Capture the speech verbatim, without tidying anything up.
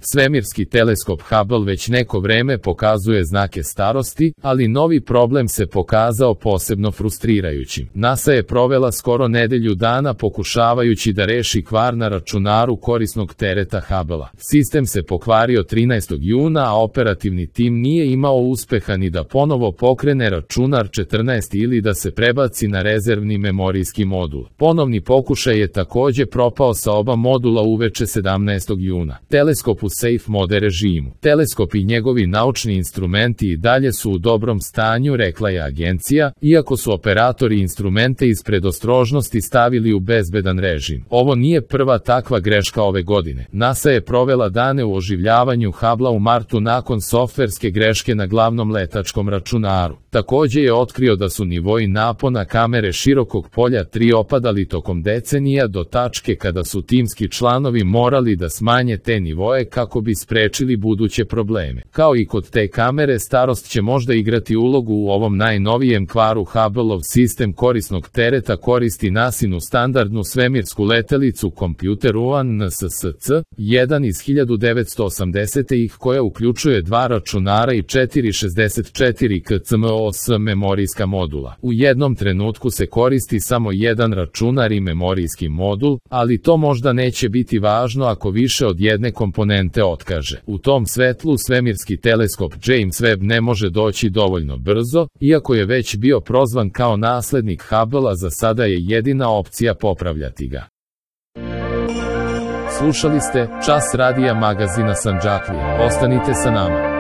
Svemirski teleskop Hubble već neko vreme pokazuje znake starosti, ali novi problem se pokazao posebno frustrirajućim. NASA je provela skoro nedelju dana pokušavajući da reši kvar na računaru korisnog tereta Hubble-a. Sistem se pokvario trinaestog juna, a operativni tim nije imao uspeha ni da ponovo pokrene računar četrnaest ili da se prebaci na rezervni memorijski modul. Ponovni pokušaj je takođe propao sa oba modula uveče sedamnaestog juna. Teleskop u safe mode režimu. Teleskop i njegovi naučni instrumenti i dalje su u dobrom stanju, rekla je agencija, iako su operatori instrumente iz predostrožnosti stavili u bezbedan režim. Ovo nije prva takva greška ove godine. NASA je provela dane u oživljavanju Hubble-a u martu nakon softverske greške na glavnom letačkom računaru. Takođe je otkrio da su nivoi napona kamere širokog polja tri opadali tokom decenija do tačke kada su timski članovi morali da smanje te nivoe kako bi sprečili buduće probleme. Kao i kod te kamere, starost će možda igrati ulogu u ovom najnovijem kvaru. Hubble-ov sistem korisnog tereta koristi NASInu standardnu svemirsku letelicu Computer One N S S C jedan iz hiljadu devetsto osamdesetih koja uključuje dva računara i četiri šezdeset četiri K C M O S memorijska modula. U jednom trenutku se koristi samo jedan računar i memorijski modul, ali to možda neće biti važno ako više od jedne komponente otkaže. U tom svetlu svemirski teleskop James Webb ne može doći dovoljno brzo, iako je već bio prozvan kao naslednik Hubble-a, za sada je jedina opcija popravljati ga. Slušali ste Čas radija magazina Sandžaklija. Ostanite sa nama.